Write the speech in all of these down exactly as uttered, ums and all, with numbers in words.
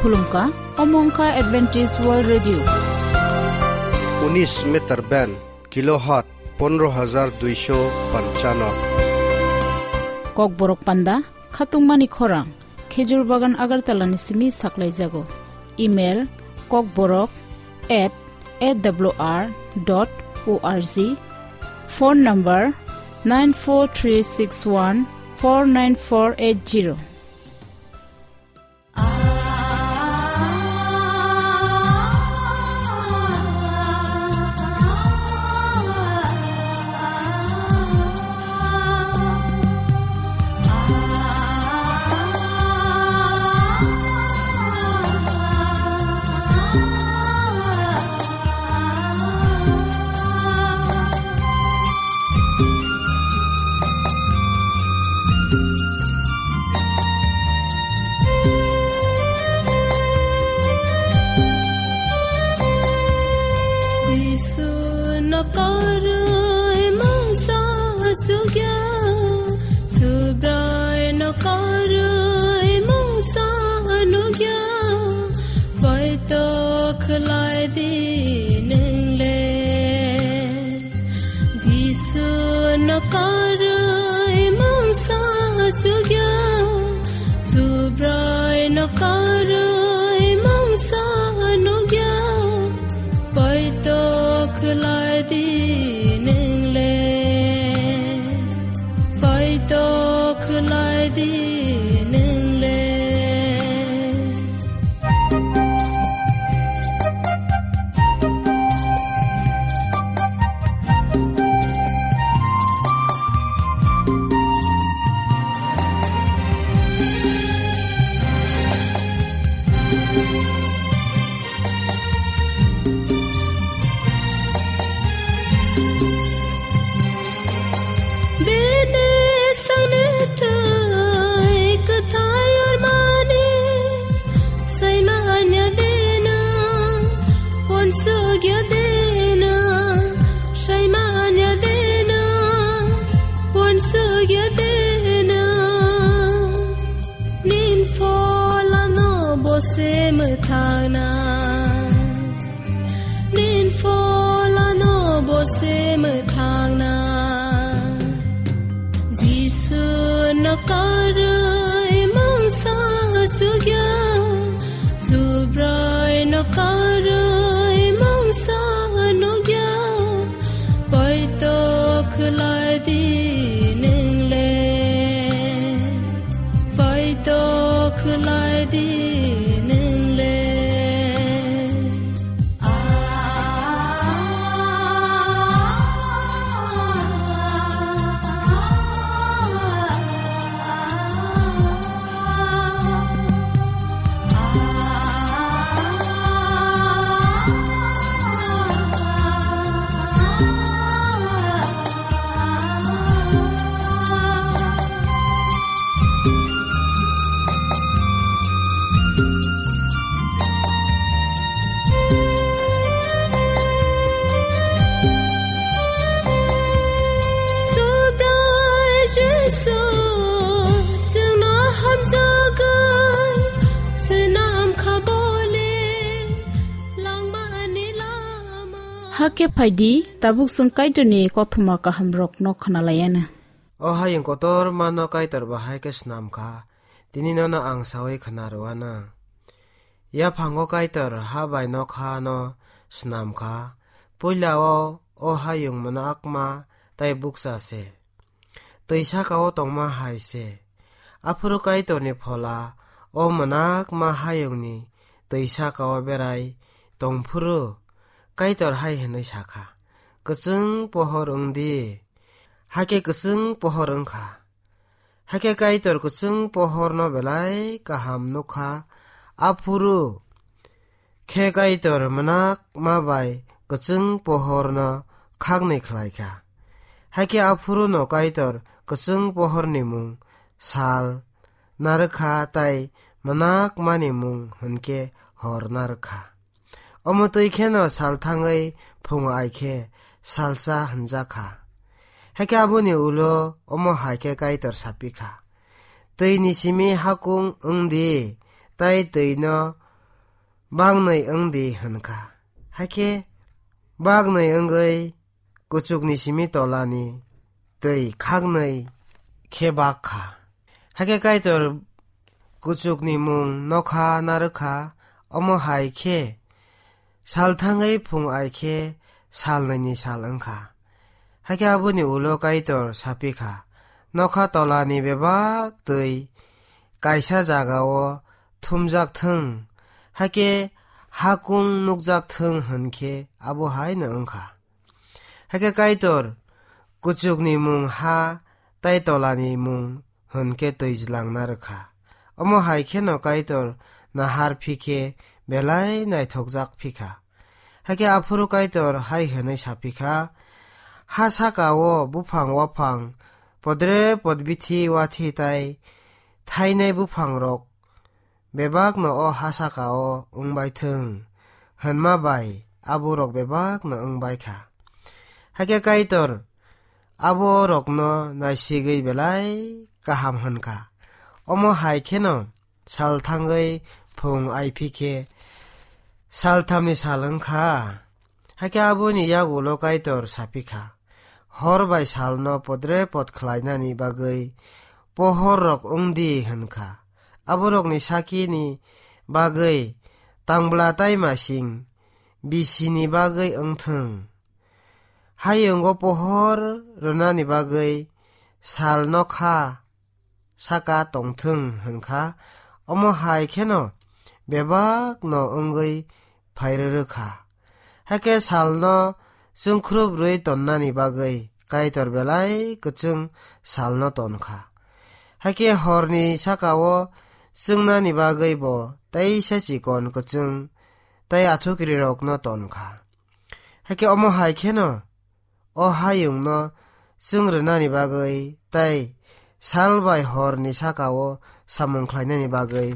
Khulumkha, omo wngkha Adventist World Radio. Unis meter band, kilohertz pondro hajar duisho panchano. Kokborok panda, khatungmani khorang, Khejur Bagan Agartala ni simi saklaijago. Email, kokborok at A W R dot O R G. Phone number, nine four three six one four nine four eight zero. Jisu no karwi mungsa sugya, Subrai no karwi mungsa nugya, poito khlai di nwngle. Jisu no karwi mungsa sugya, Subrai no karwi mungsa nugya, poito khlai di nwngle, poito khlai di nwngle. Bini sani twi kwthai ormani, saimanya dena, uansukya dena, saimanya dena, uansukya dena. Nin pholano bo se mwthangna. Nin pholano bo se mwthangna. Jisu no karwi mungsa sugya, Subrai no karwi mungsa nugya, poito khlai di nwngle. Poito khlai di nwngle. Subrai Jisu, chwngno hamjagwi swnam kha bole langmani lama. Hakhe phaidi, tabuk chwng Kaitorni kothoma kahamrokno khwnalaianw. O hayung kotor mano Kaitor bahai khe snam kha, tini nono ang saui khna rwano. Yaphango Kaitor ha bai nokha no snam kha, puila o, o hayung mwnakma tei bukcha se. Twi saka o tongma hai se. Aphuru Kaitorni phola o mwnakma hayungni twi saka o berai tongphuru Kaitor hai hwnwi sa kha, "Kwchwng pohor wng di." Hakhe kwchwng pohor wng kha. Hakhe Kaitor kwchwng pohorno belai kaham nuk kha. Aphuru khe Kaitor mwnakma bai kwchwng pohorno khakni khlai kha. Hakhe aphuruno Kaitor kwchwng pohorni mung sal narwk kha tei mwnakmani mung hwn khe hor narwk kha. Omo twi kheno sal thangwi phungo ai khe salsa hwnjak kha. Hakhe aboni ulo omo hai khe Kaitor sapi kha, "Twini simi hakung wng di, tei twino baknwi wng di," hwn kha. Hakhe baknwi wngwi kuchukni simi tolani twi khaknwi khe bak kha. Hakhe Kaitor kuchukni mung nokha narwk kha, omo hai khe sal thangwi phung ai khe sal nwi ni sal wng kha. Hakhe aboni ulo Kaitor sa phi kha, "Nokha tolani bebak twi kaisa jagao thumjak thung, hakhe hakung nukjak thung," hwn khe abo hai no wng kha. Hakhe Kaitor kuchukni mung ha tei tolani mung hwn khe twijlang narwk kha. Omo hai kheno Kaitor nahar phi khe belai naithokjak phi kha. Hakhe aphuru Kaitor hai hwnwi sa phi kha, "Ha saka-o buphang waphang, podre podbithi wathi tai thainai buphangrok bebakno o ha saka-o wng bai thung," hwnma bai aborok bebakno wng bai kha. Hakhe Kaitor aborokno naisigwi belai kaham hwn kha. Omo hai kheno sal thangwi phung ai phi khe salthamni sal wng kha. Hakhe aboni yagulo Kaitor sa phi kha, "Hor bai salno podre pod khlainani bagwi pohorrok wng di," hwn kha. Aborokni sakini bagwi tangbla tai masing bisini bagwi wng thung. Hayungo pohor rwnani bagwi sal nokha saka tongthung hwn kha, omo hai kheno bebak no wngwi phairwrwk kha. Hakhe salno chwngkhrup rwi tonnani bagwi Kaitor belai kwchwng salno ton kha. Hakhe horni saka-o chwngnani bagwi bo teisa chikon kwchwng tei athukrirokno ton kha. Hakhe omo hai kheno o hayungno chwng rwnani bagwi tei sal bai horni saka-o samung khlainani bagwi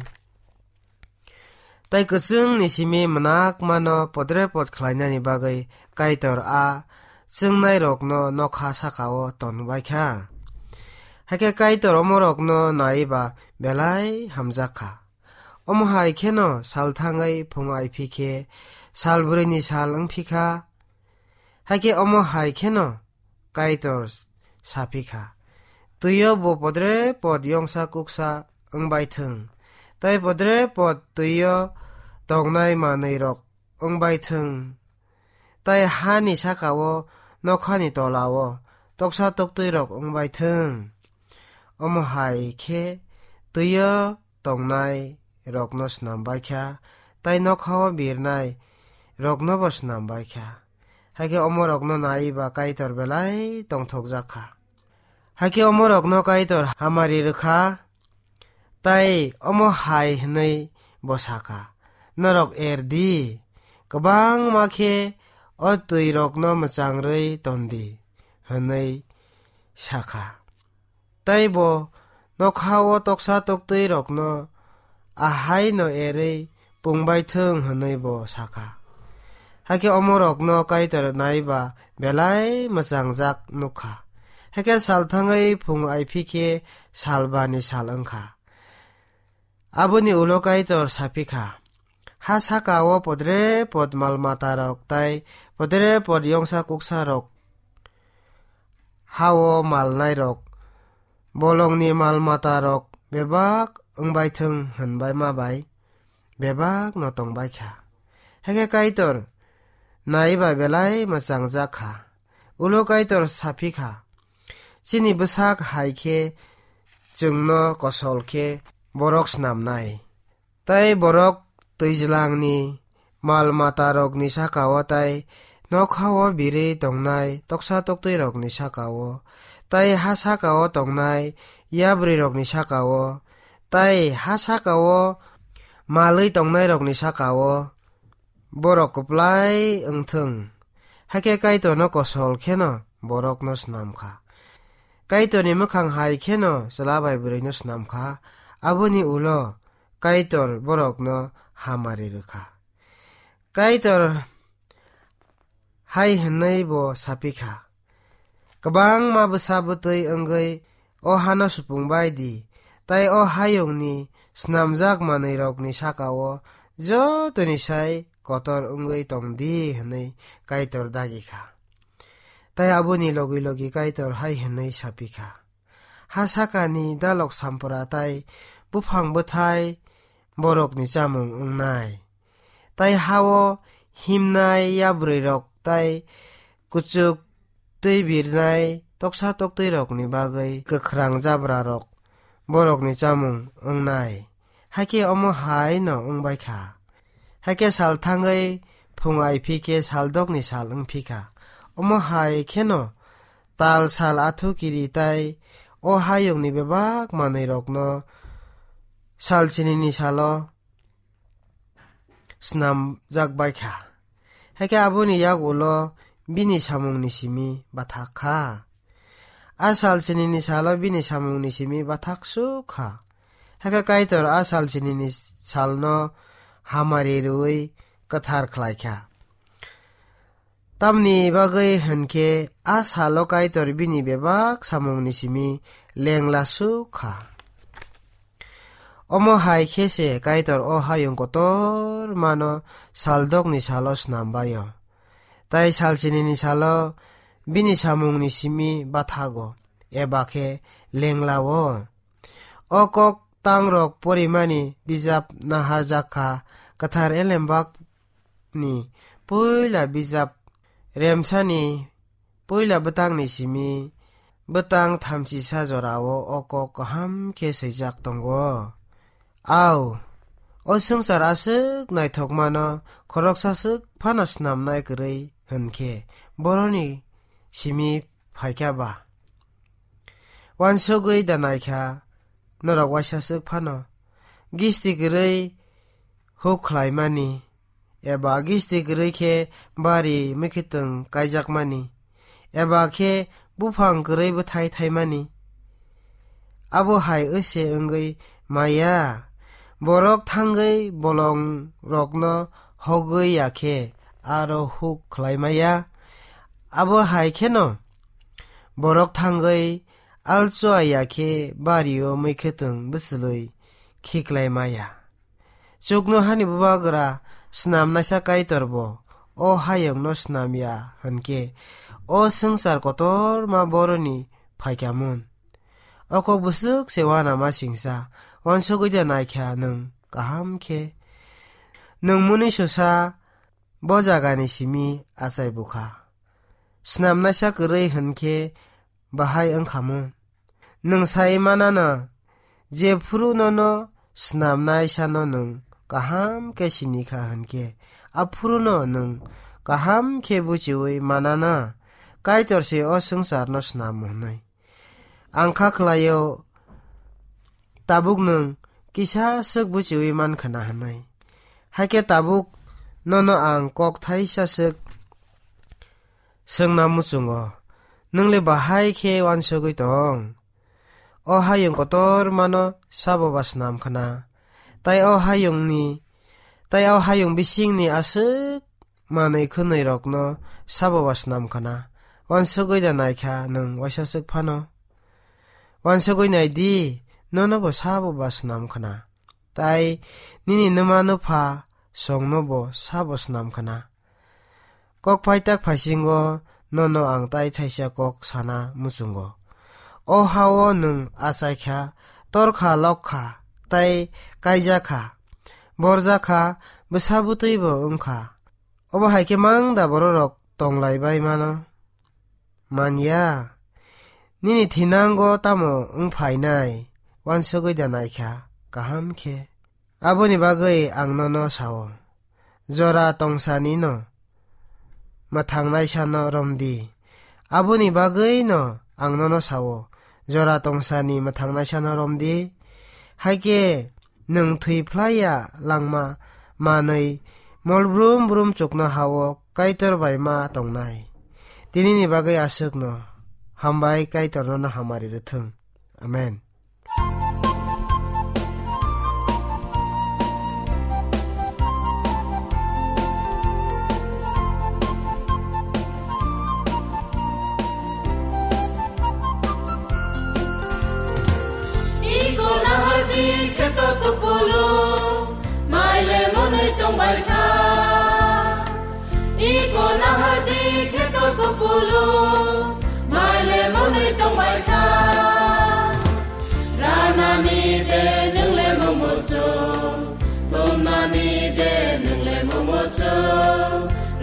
tei kwchwngni simi mwnakmano podre pod khlainani bagwi Kaitor a chwngnairokno nokha saka-o tonbai kha. Hakhe Kaitor omorokno naiwi ba belai hamjak kha. Omo hai kheno sal thangwi phung ai phi khe sal bwrwini sal wng phi kha. Hakhe omo hai kheno Kaitor sa phi kha, "Twio bo podre pod yongsa kuksa wng bai thung, tei podre pod twio tongnai manwirok wng bai thung, tei hani saka-o nokhani tola-o toksa toktwirok wng bai thung." Omo hai khe twio tongnai rokno snam bai kha, tei nokhao birnai rokno bo snam bai kha. Hakhe omorokno naiwi ba Kaitor belai tongthokjak kha. Hakhe omorokno Kaitor hamari rwkha, tei omo hai hwnwi bo sakha, "Norok er di, kwbangma khe o twirokno mwchang rwi ton di," hwnwi sakha. Tei bo nokhao toksa toktwirokno ahaino erwi pungbai thung hwnwi bo sakha. Hakhe omorokno Kaitor naiwi ba belai mwchangjak nukha. Hakhe sal thangwi phung ai phi khe sal bani sal wng kha. Aboni ulo Kaitor sa phi kha, "Ha saka-o podre pod mal matarok tei podre pod yongsa kuksarok, ha-o malnairok, bolongni mal matarok bebak wng bai thung," hwnbai ma bai bebak no tong bai kha. Hakhe Kaitor naiwi ba belai mwchangjak kha. Ulo Kaitor sa phi kha, "Chini bwsak hai khe chwngno kosol khe borok snamnai. Tei borok twijlangni mal matarokni saka-o tei nokhao birwi tongnai toksa toktwirokni saka-o, tei ha saka-o tongnai yabrwirokni saka-o, tei ha saka-o malwi tongnairokni saka-o borok kwplai wng thung." Hakhe Kaitorno kosol kheno borokno snam kha. Kaitorni mwkhang hai kheno chwla bai bwrwino snam kha. Aboni ulo Kaitor borokno hamari rwkha. Kaitor hai hwnwi bo sa phi kha, "Kwbangma bwsa bwtwi wngwi o hano supung bai di, tei o hayungni snamjak manwirokni saka-o jotoni sai kotor wngwi tong di," hwnwi Kaitor dagi kha. Tai aboni logi logi Kaitor hai hwnwi sa phi kha, "Ha sakani dalok sampra tai buphang bwthai borokni chamung wngnai. Tai ha-o himnai yabrwirok tai kuchuk twi birnai toksa toktwirokni bagwi kwkhrang jabrarok borokni chamung wngnai. Hakhe omo hai no wngbai kha. Hakhe sal thangwi phung ai phi khe sal dokni sal wng phi kha. Omo hai kheno tal sal athu kiri tai o hayungni bebak manwirokno sal chinini salo snamjak bai kha. Hakhe aboni yak ulo bini samungni simi bathak kha. A sal chinini salo bini samungni simi bathak suk kha. Hakhe Kaitor a sal chinini salno hamari rwui kwthar khlai kha. Tamni bagwi hwn khe a salo Kaitor bini bebak samungni simi lengla suk kha. Omo hai khe se Kaitor o hayung kotormano sal dokni salo snam bai-o. Tai sal chinini salo bini samungni simi bathago, eba khe lengla-o. O kok tangrok porimani bijap naharjak kha, kwthar elembak ni puila bijap remsani puila bwtangni simi bwtang thamchisa jorao o kok kaham khe swijak tongo. Au, o swngchar aswk naithokmano khoroksa swk phano snamnai kwrwi hwn khe boroni simi phaikha ba? Wansugwi da naikha norok waisa swk phano gisti kwrwi huk khlaimani, eba gisti kwrwi khe bari mwkhwtwng kaijakmani, eba khe buphang kwrwi bwthai thaimani. Abo hai wse wngwi maya, borok thangwi bolongrokno hogwi ya khe aro huk khlai maya. Abo hai kheno borok thangwi alchoa ya khe bario mwkhwtwng bwchwlwi khiklai maya. Chukno hani bubagra snamnaisa Kaitor bo o hayungno snam ya hwn khe, o swngchar kotorma boroni phaikha mun. O kok bwswk se uanama singsa, wansugwi da naikha nwng kaham khe. Nwng mwnwi susa bo jagani simi achai bukha. Snamnaisa kwrwi hwn khe bahai wngkha mun. Nwng sai manana, jephuru nono snamnaisano nwng kaham khe sini kha hwn khe, aphuruno nwng kaham khe buchiui manana, Kaitor se o swngcharno snam hwnwi. Ang kha khlaio, tabuk nwng kisa swk buchiui man khna hwnwi. Hakhe tabuk nono ang kok thaisa swk swngna muchungo, nwng le bahai khe uansugwi tong? O hayung kotormano sabo ba snam khna, tai o hayungni, tai o hayung bisingni aswk manwi khwnwi rokno sabo ba snam khna. Uansugwi da naikha nwng waisa swk phano? Uansugwi nai di, nono bo sabo ba snam khna, tai nini nwma nwpha songno bo sabo snam khna. Kok phai tak phaisingo nono ang tai thaisa kok sana muchungo. O ha-o nwng achai kha, tor kha, lok kha, tai kaijak kha, borjak kha, bwsa bwtwi bo wng kha. Obo hai khe mang da bororok tong lai bai mano? Man ya. Nini thinango tamo wng phainai? Uansugwi da naikha kaham khe. Aboni bagwi ang nono sao, jora tongsani no mwthangnaisano romdi. Aboni bagwi no ang nono sao, jora tongsani mwthangnaisano romdi. Haikhe nwng thwi phlai ya langma manwi mol brum brum chuknoha-o Kaitor bai ma tongnai. Tinini bagwi aswkno. Hambai, Kaitor nono hamari rwthwng. Amen. Iko nahardi kheto kupulung, maile mo Tongbai kha. Iko nahadi kheto kupulu, maile monwi tongbai kha. Ranani de nwngle mumusu, tumnani de nwngle mumusu,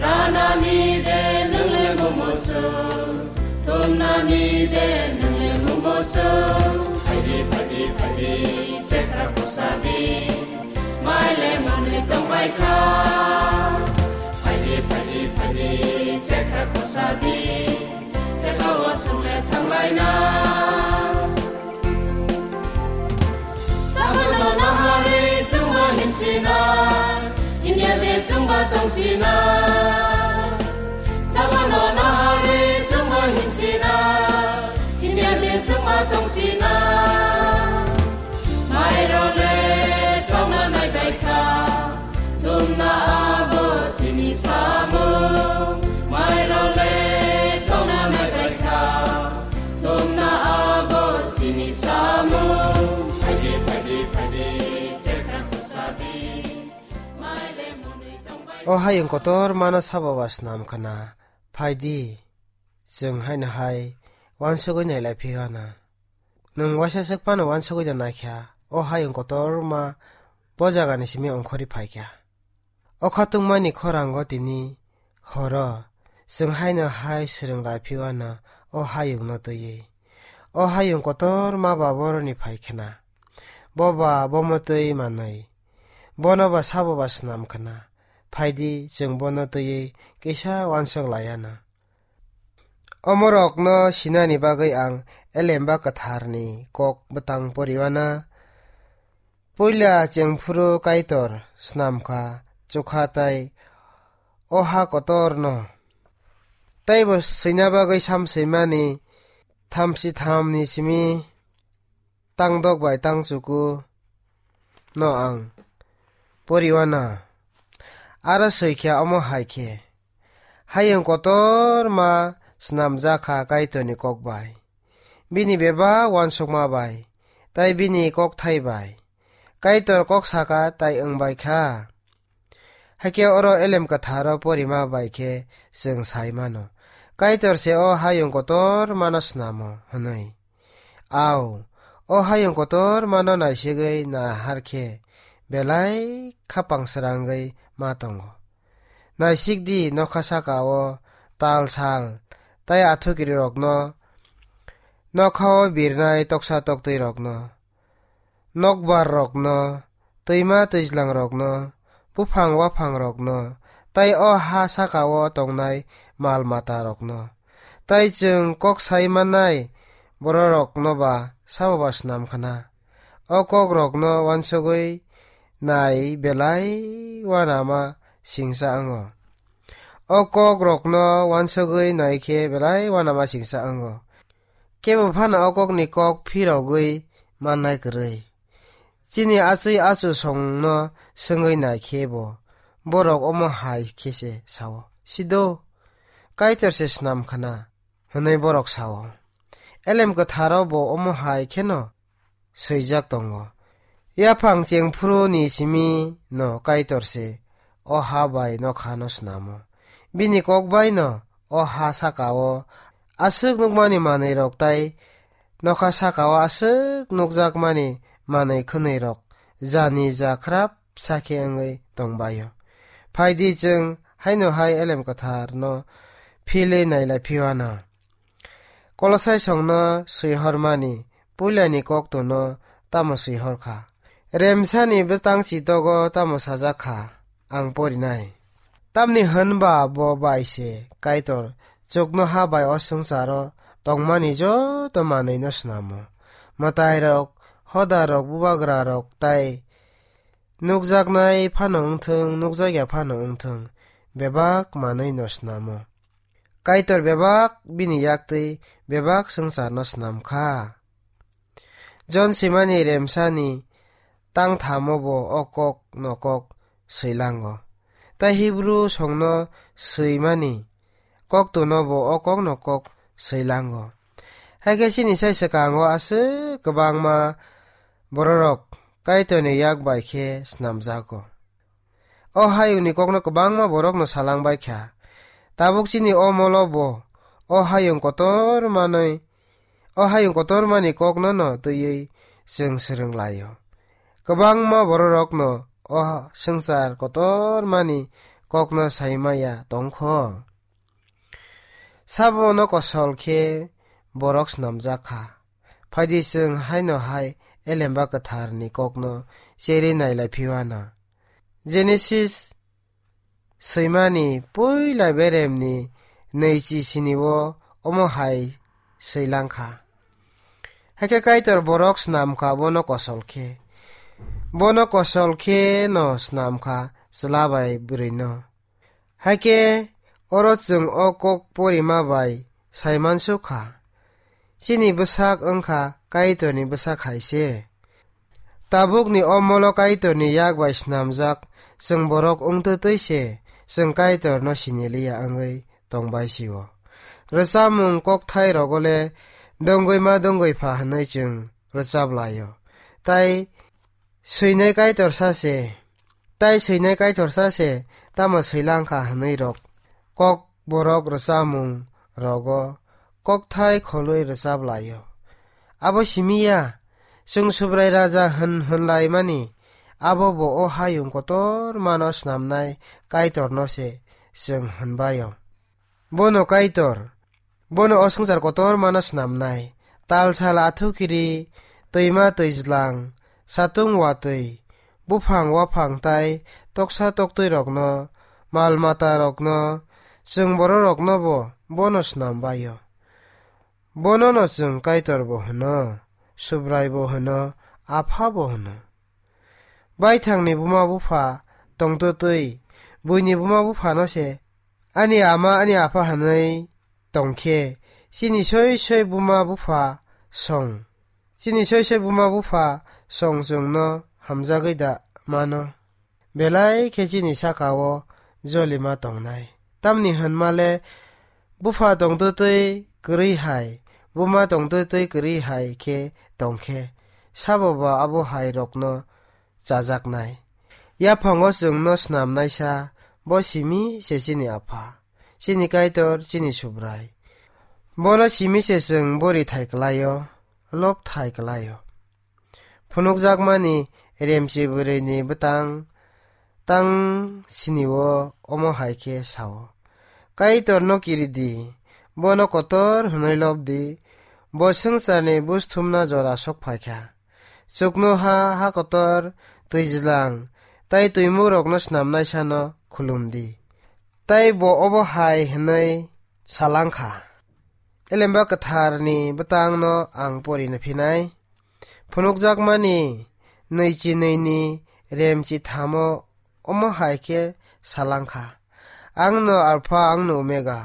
ranani de nwngle mumusu, tumnani de nwngle mumusu. Phaidi, phaidi, phaidi, sekra kusadi. Maile monwi tongbai kha. Phaidi, phaidi, phaidi, sekra kusadi. Tebao sungle thanglaina. Sabano nahari sungba himsina. Himya de sungba tongsina. Sabano nahari sungba himsina. Himya de sungba tongsina. Mairole songna naibai kha, tumna abo sini samung. Mairole songna naibai kha, tumna abo sini samung. Phaidi, phaidi, phaidi, sekra kusadi. Maile monwi tongbai. O hayung kotor mano sabo ba snam khana. Phaidi, chwng haino hai uansugwi nailai phiyana. Nwng waisa swk phano uansugwi da naikha, o hayung kotorma bo jagani simi ongkhorwi phaikha. O khatungmani khorango tini horo chwng haino hai swrwng lai phiyana o hayungno twiwi. O hayung kotorma ba boroni phaikhna. Bo ba bomo twi manwi. Bono ba sabo ba snam khna. Phaidi, chwng bono twiwi kisa uansuk laiano. Omorokno sinani bagwi ang Elemba Kwtharni kok bwtang poriwana. Puila chengphuru Kaitor snamkha chukha tai o ha kotorno. Teibo swina bagwi samswimani thamsi thamni simi tangdok bai tangchuku no ang poriwana. Aro swi khe omo hai khe, hayung kotorma snamjak kha Kaitorni kok bai, bini bebak uansukma bai, tai bini kokthai bai. Kaitor kok saka tai wng bai kha. Hakhe oro Elem Kwtharo porima bai khe chwng sai mano, Kaitor se o hayung kotormano snamo hwnwi. Au, o hayung kotormano naisigwi nahar khe belai khapang srangwi ma tongo. Naisik di, nokha saka-o tal sal tai athukirirokno, nokha-o birnai toksa toktwirokno, nokbar rokno, twima twijlang rokno, buphang waphang rokno, tai o ha saka-o tongnai mal mata rokno, tai chwng kok sai mannai bororokno ba sabo ba snam khna. O kok rokno uansugwi nai belai uanama singsa wngo. O kok rokno uansugwi nai khe belai uanama singsa wngo. Kebo phano o kokni kok phirogwi mannai kwrwi. Chini achwi achu songno swngwi nai khe bo, borok omo hai khe se sao, "Sido, Kaitor se snam khna," hwnwi borok sao. Elem Kwtharo bo omo hai kheno swijak tongo. Yaphang chengphuru ni simi no Kaitor se o ha bai nokha no snamo. Bini kok bai no o ha saka o aswk nukmani manwi rok tai nokha saka o aswk nukjakmani manwi khwnwi rok jani ja khrap sakhe wngwi tongbaio. Phaidi chwng haino hai Elem Kwthar no philwi nailai phiwana. Kolosai songno swihormani puilani koktono tamo swihor kha? Remsani bwtang chitogo tamo sajak kha? Ang porinai. Tamni hwnba bo bai se Kaitor chuknoha bai o swngcharo tongmani joto manwino snamo. Mwtairok, hodarok, bubagrarok tai nukjaknai phano wngthwng, nukjakya phano wngthwng, bebak manwino snamo. Kaitor bebak bini yaktwi bebak swngcharno snam kha. Jon swimani remsani tangthamo bo o kok no kok swilango. Tai Hibru songno swimani koktono bo o kok no kok swilango. Hakhe chini sai swkango aswk kwbangma bororok Kaitorni yak bai khe snamjago. o hayungni kokno kwbangma borokno salangbaikha. Tabuk chini o molo bo o hayung kotor manwi, o hayung kotormani kokno no twiwi chwng swrwng laio. Kwbangma bororokno o swngchar kotormani kokno saimaya tongkho. Sabono kosol khe borok snamjak kha. Phaidi chwng haino hai Elemba Kwtharni kokno cherwi nailai phiwana. Genesis swimani puila beremni neichi sinio omo hai swilang kha. Hakhe Kaitor borok snam kha bono kosol khe. Bono kosol khe no snam kha chwla bai bwrwino. Hakhe oro chwng o kok porima bai saimansuk kha. Chini bwsak wngkha Kaitorni bwsak hai se. Tabukni o molo Kaitorni yak bai snamjak chwng borok wngtwi twi se chwng Kaitorno siniliya wngwi tongbai sio. Rwchapmung kokthai rogo le dongwi ma dongwi pha hwnwi chwng rwchap laio. Tai swinai Kaitor sa se, tai swinai Kaitor sa se, tamo swilang kha hwnwi rok kok borok rwchapmung rogo kokthai kholwi rwchap laio. Abo simi ya, chwng Subrai Raja hwn hwnlaimani, abo bo o hayung kotormano snamnai Kaitorno se chwng hwnbaio. Bono Kaitor, bono o swngchar kotormano snamnai. Tal sal athukiri, twima twijlang, satung watwi, buphang waphang tai toksa toktwirokno, mal matarokno, chwng bororokno bo bono snambaio. Bonono chwng Kaitor bo hwno, Subrai bo hwno, Apha bo hwno. Baithangni buma bupha tongtwtwi, buini buma buphano se ani ama ani apha hwnwi tongkhe, chini soi soi buma bupha song, chini soi soi buma bupha song chwngno hamjagwi da mano. Belai khe chini saka-o jolima tongnai. Tamni hwnma le bupha tongtwtwi kwrwi hai, buma tongtwtwi kwrwi hai khe tongkhe, sabo ba abo hai rokno chajaknai. Yaphango chwngno snamnaisa bo simi se chini Apha, chini Kaitor, chini Subrai. Bono simi se chwng bori thai kwlaio, lob thai kwlaio. Phunukjakmani remchi bwrwini bwtang tang sinio omo hai khe sao, Kaitorno kiridi, bono kotor hwnwi lobdi, bo swngcharni buj thumna jora sok phaikha. Chuknoha, ha kotor, twijlang, tai twimukrokno snamnaisano khulumdi. Tai bo obo hai hwnwi salangkha, Elemba Kwtharni bwtangno ang porina phinai. Phunukjakmani nwichi nwini remchi thamo omo hai khe salangkha, Angno Alpha, angno Omega,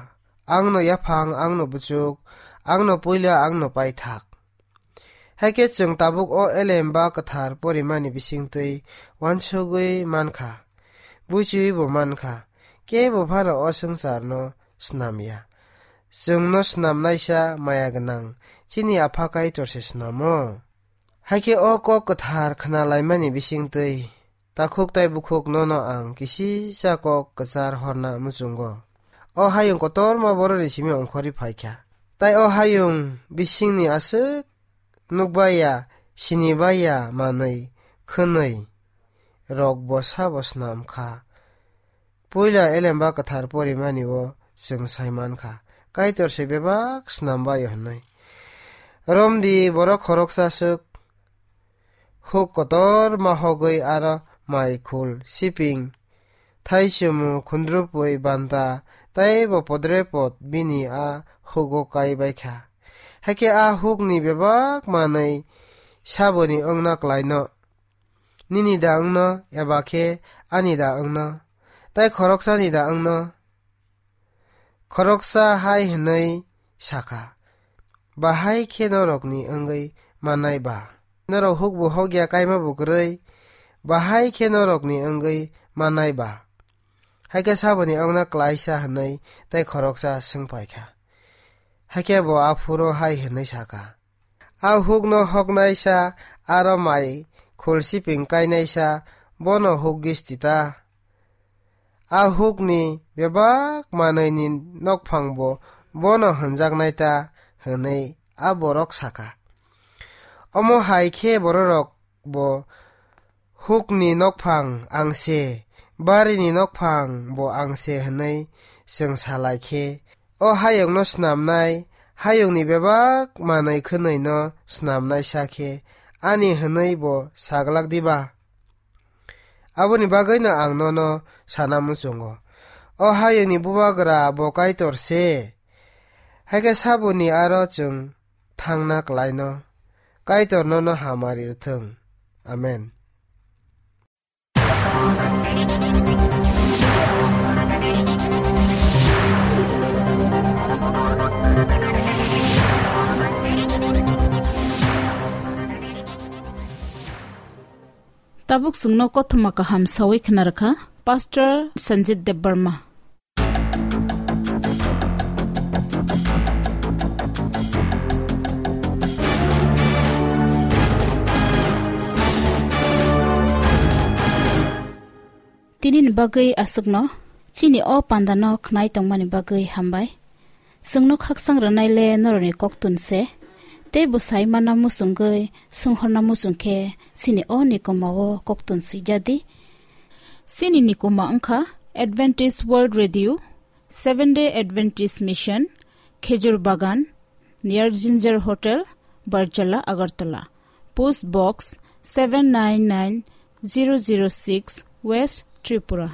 angno yaphang, angno buchuk, angno puila, angno paithak. Hai khe chwng tabuk o Elemba Kwthar porimani bisingtwi uansugwi mankha, buchiwi bo mankha, kebo phano o swngcharno snamya. Chwngno snamnaisa maya gwnang chini Apha Kaitor se snamo. Hai khe o kok kwthar khna laimani bisingtwi takhuk tai bukhuk nono ang kisisa kok kwchar horna muchungo. O hayung kotorma boroni simi ongkhorwi phaikha. Tai o hayung bisingni aswk nukbaiya, sinibaiya manwi khwnwi rok bo sabo snam kha. Puila Elemba Kwthar porimani o chwng sai mankha, Kaitor se bebak snam bai hwnwi. Romdi borok khoroksa swk huk kotor ma hogwi aro mai khul siping, thaichumu, khundrupui, banta tei bo podrepot bini a hugo kai bai kha. Hakhe a hukni bebak manwi saboni wngna klaino. Nini da wngno, eba khe ani da wngno, tai khoroksani da wngno? Khoroksa hai hwnwi sakha, bahai khe norokni wngwi mannai ba? Norok hukbu hokya kaima bu kwrwi, bahai khe norokni wngwi mannai ba? Hai khe saboni wngna klaisa hwnwi tai khoroksa swng paikha. Hai khe bo aphuru hai hwnwi sakha, A hukno hoknaisa, aro mai khulsiping kainaisa, bono huk gisti ta. a hukni bebak manwini nokphang bo bono hwnjaknai ta," hwnwi a borok sakha. Omo hai khe bororok bo, "Hukni nokphang ang se, barini nokphang bo ang se," hwnwi chwng salai khe, o hayungno snamnai, hayungni bebak manwi khwnwino snamnaisa khe ani hwnwi bo saglak diba? Aboni bagwino ang nono sana muchungo, o hayungni bubagra bo Kaitor se. Hai khe saboni aro chwng thangna klaino. Kaitor nono hamari rwthwng. Amen. Tabuk chwngno kothoma kaham sawi khna rwkha Pastor Sanjit Debbarma. Tinini bagwi aswkno chini o pandano khnai tongmani bagwi hambai. Chwngno khaksang rwnaile norokni koktun se, tei bwsai mana muchungwi swnghorna muchung khe chini o nikoma o koktun swijadi. Chini nikoma wngkha Adventist World Radio, Seventh Day Adventist Mission, Khejur Bagan, near Ginger Hotel, Barjala, Agartala. Post Box seven nine nine zero zero six, West Tripura.